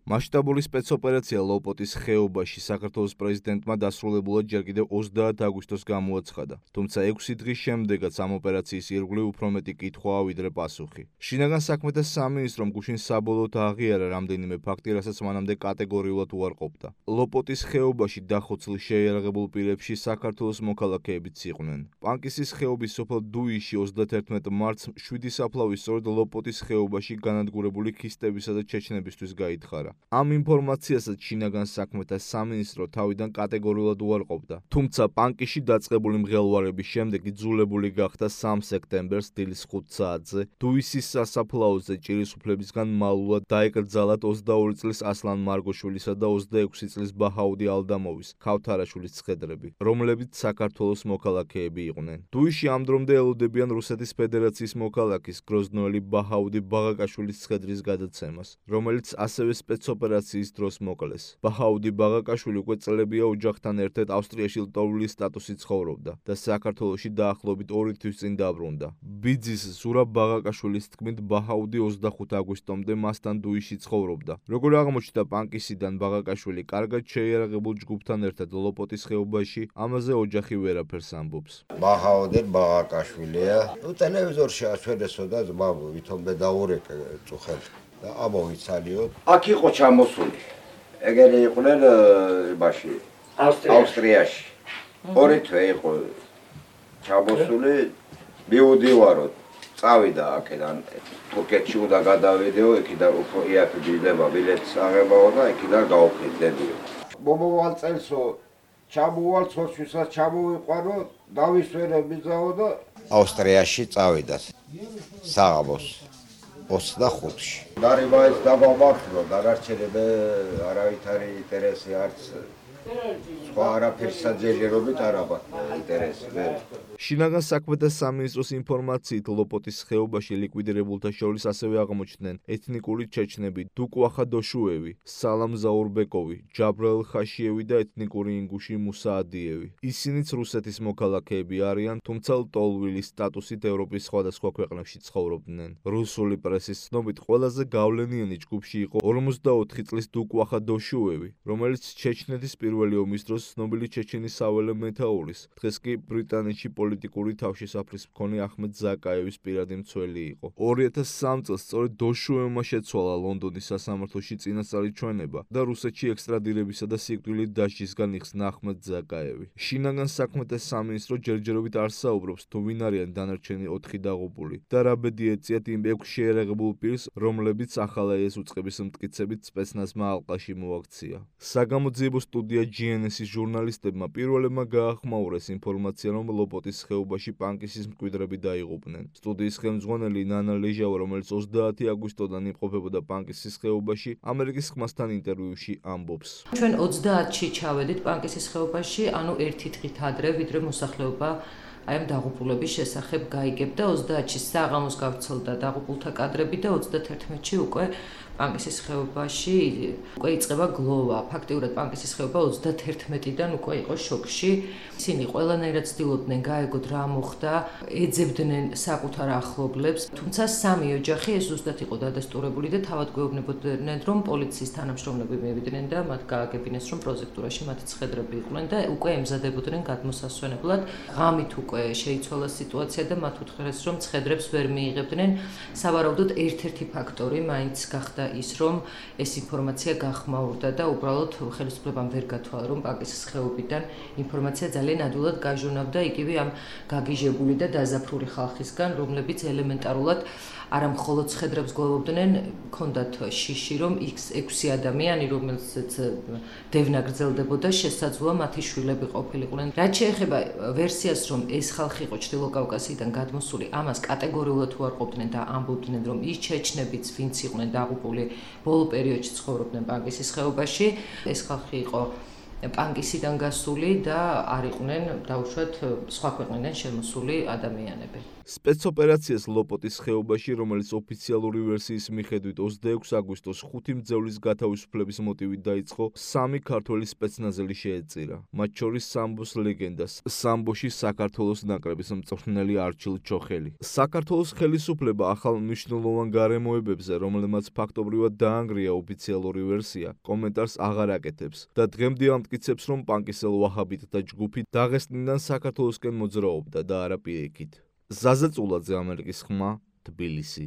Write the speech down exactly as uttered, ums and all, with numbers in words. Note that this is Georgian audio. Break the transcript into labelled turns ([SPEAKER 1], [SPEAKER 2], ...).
[SPEAKER 1] მასშტაბური სპეცოპერაცია ლოპოტის ხეობაში საქართველოს პრეზიდენტმა დასრულებულად ჯერ კიდევ ოცდაათი აგვისტოს გამოაცხადა, თუმცა ექვსი დღის შემდეგაც ამ ოპერაციის ირგვლივ უფრო მეტი კითხვაა ვიდრე პასუხი. შინაგან საქმეთა სამინისტრომ გუშინ საბოლოოდ აღიარა რამდენიმე ფაქტი, რასაც მანამდე კატეგორიულად უარყოფდა. ლოპოტის ხეობაში დახოცილ შეიარაღებულ პირებში საქართველოს მოქალაქეებიც იყვნენ. პანკისის ხეობის სოფელ დუიში ოცდაათი მარტს შვიდი საფლავი სწორედ ლოპოტის ხეობაში განადგურებული ქისტებისა და ჩეჩნებისთვის გაითხარა. ამ ინფორმაციასაც შინაგან საქმეთა სამინისტრო თავიდან კატეგორიულად უარყოფდა. თუმცა პანკისში დაწყებული მღელვარების შემდეგ იძულებული გახდა სამ სექტემბერს დილის ხუთ საათზე დუისის სასაფლაოზე ჭირისუფლებისგან მალულად დაეკრძალათ ოცდაორი წლის ასლან მარგოშვილისა და ოცდაექვსი წლის ბაჰაუდი ალდამოვის ქავთარაშვილის ცხედრები, რომლებიც საქართველოს მოქალაქეები იყვნენ. დუიში ამ დრომდე ელოდებიან რუსეთის ფედერაციის მოქალაქის გროზნოელი ბაჰაუდი ბაღაკაშვილის ცხედრის გადაცემას, რომელიც ასევე სპეცოპერაციის დროს მოკლეს. ბაჰაუდი ბაღაკაშვილი უკვე წლებია ოჯახთან ერთად ავსტრიაში ლტოლვილის სტატუსით ცხოვრობდა და საქართველოში დაახლოებით ორი თვის წინ დაბრუნდა. ბიძის ზურაბ ბაღაკაშვილის თქმით, ბაჰაუდი ოცდახუთი აგვისტომდე მასთან დუიში ცხოვრობდა. როგორ აღმოჩნდა პანკისიდან, ბაღაკაშვილი კარგად შეიარაღებულ ჯგუფთან ერთად ლოპოტის ხეობაში, ამაზე ოჯახი ვერაფერს ამბობს.
[SPEAKER 2] ბაჰაუდი ბაღაკაშვილია. ნუ ტელევიზორში აჩვენესო და ძმა ვითომ დაურეკე წუხელ და ამოვიცალიოთ.
[SPEAKER 3] აქ იყო ჩამოსული. ეგენი იყვნენ იმაში ავსტრიაში. ორი თვე იყო ჩამოსული, მივდივაროთ. წავიდა აქედან თურქეთში უნდა გადავიდეო, იქიდან უფრო იაფი ბილდება, ბილეთს აღებაო და იქიდან გავუხედებიო. მომავალ წელსო ჩამოვალ ცოცხლსაც ჩამოვიყვანო, დავისვენე მიზაო და ავსტრიაში წავიდათ. საღამოს ოცდახუთში. დარიბაის დაბამართლო, დანარჩენები არავითარი ინტერესი არც სხვა არაფერს საძიერობით არ აქვთ ინტერესი.
[SPEAKER 1] შინაგან საქმეთა სამინისტროს ინფორმაციით ლოპოტის ხეობაში ლიკვიდირებულთა შორის ასევე აღმოჩნდნენ ეთნიკური ჩეჩნები დუკუ ახადოშუევი, სალამ ზაურბეკოვი, ჯაბრაილ ხაშიევი და ეთნიკური ინგუში მუსა ადიევი. ისინიც რუსეთის მოქალაქეები არიან, თუმცა ლტოლვილის სტატუსით ევროპის სხვადასხვა ქვეყნებში ცხოვრობდნენ. რუსული პრესის ცნობით ყველაზე გავლენიანი ჯგუფში იყო ორმოცდაოთხი წლის დუკუ ახადოშუევი, რომელიც ჩეჩნეთის პირველი ომის დროს ცნობილი ჩეჩენის საველე მეთაურის, დღეს კი ბრიტანეთში პოლიტიკური თავშესაფრის მქონე ახმედ ზაკაევის პირადი მცველი იყო. ორი ათას სამი წელს სწორედ დოშუევმა შეცვალა ლონდონის სასამართლოში წინასწარი ჩვენება და რუსეთში ექსტრადირებისა და სიკვდილით დასჯისგან იხსნა ახმედ ზაკაევი. შინაგან საქმეთა სამინისტრო ჯერჯერობით არ საუბრობს, თუ ვინ არიან დანარჩენი ოთხი დაღუპული და რა ბედი ეწიათ იმ ექვს შეიარაღებულ პირს, რომლებიც ახალაიეს უწყების მტკიცებით სპეცნაზმა ალყაში მოაქცია. საგამოძიებო სტუდია ჯი εν ეს-ის ჟურნალისტებმა პირველებმა გაახმაურეს ინფორმაცია, რომ ლოპოტის ხეობაში პანკისის მკვიდრები დაიღუპნენ. სტუდიის ხელმძღვანელი ნანა ლეჟავა, რომელიც ოცდაათი აგვისტოდან იმყოფებოდა პანკისის ხეობაში, ამერიკის ხმასთან ინტერვიუში ამბობს.
[SPEAKER 4] ჩვენ ოცდაათში ჩავედით პანკისის ხეობაში, ანუ ერთი დღით ადრე, ვიდრე მოსახლეობა აი ამ დაღუპულების შესახებ გაიგებდა. ოცდაათში საღამოს გავრცელდა დაღუპულთა კადრები და ოცდათერთმეტში უკვე პანკისის ხეობაში უკვე იწყება გლოვა. ფაქტიურად პანკისის ხეობა ოცდათერთმეტიდან უკვე იყო შოკში. ისინი ყველანაირად ცდილობდნენ გაეგოთ რა მოხდა, ეძებდნენ საკუთარ ახლობლებს, თუმცა სამი ოჯახი ეს ზუსტად იყო დადასტურებული და თავად გვეუბნებოდნენ, რომ პოლიციის თანამშრომლები მივიდნენ და მათ გააგებინეს, რომ პროზექტურაში მათი ცხედრები იყვნენ და უკვე ემზადებოდნენ გადმოსასვენებლად. ღამით უკვე შეიცვალა სიტუაცია და მათ უთხრეს, რომ ცხედრებს ვერ მიიღებდნენ. სავარაუდოდ ერთ-ერთი ფაქტორი მაინც გახდა ის, რომ ეს ინფორმაცია გახმაურდა და უბრალოდ ხელისუფლებამ ვერ გათვალა, რომ პანკისის ხეობიდან ინფორმაცია ძალიან ადვილად გაჟონავდა იგივე ამ გაგიჟებული და დაზაფრული ხალხისგან, რომლებიც ელემენტარულად არა მხოლოდ ცხედრებს გლოვობდნენ, ჰქონდათ შიში, რომ ექვსი ადამიანი, რომელსაც დევნა გრძელდებოდა, შესაძლოა მათი შვილები ყოფილიყვნენ. რაც შეეხება ვერსიას, რომ ეს ხალხი იყო ჩრდილო კავკასიიდან გადმოსული, ამას კატეგორიულად უარყოფდნენ და ამბობდნენ, რომ ის ჩეჩნებიც, ვინც იყვნენ დაღუპული, ბოლო პერიოდში ცხოვრობდნენ პანკისის ხეობაში. ეს ხალხი იყო პანკისიდან გასული და არ იყვნენ დაუშვათ სხვა ქვეყნიდან შემოსული ადამიანები.
[SPEAKER 1] სპეცოპერაციას ლოპოტის ხეობაში, რომელიც ოფიციალური ვერსიის მიხედვით ოცდაექვსი აგვისტოს ხუთი მძევლის გათავისუფლების მოტივით დაიწყო, სამი ქართველი სპეცნაზელი შეეწირა. მათ შორის სამბოს ლეგენდას, სამბოში საქართველოს ნაკრების მწვრთნელი არჩილ ჩოხელი. საქართველოს ხელისუფლება ახალ მნიშვნელოვან გარემოებებზე, რომელმაც ფაქტობრივად დაანგრია ოფიციალური ვერსია, კომენტარს აღარ აკეთებს და დღემდე ამტკიცებს, რომ პანკისელ ვაჰაბიტთა ჯგუფი დაღესტნიდან საქართველოსკენ მოძრაობდა და არა პირიქით. ზაზა წულაძე, ამერიკის ხმა, თბილისი.